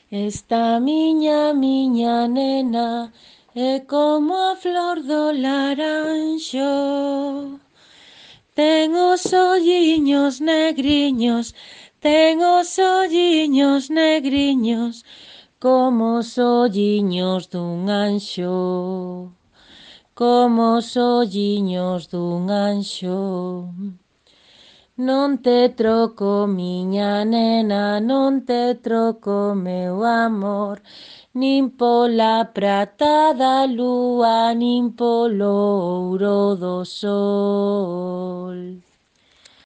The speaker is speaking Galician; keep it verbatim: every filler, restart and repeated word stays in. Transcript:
Esta miña, miña nena é como a flor do laranxo. Ten os olliños negriños, ten os olliños negriños, como os olliños dun anxo, como os olliños dun anxo. Non te troco, miña nena, non te troco, meu amor, nin pola prata da lúa, nin polo ouro do sol.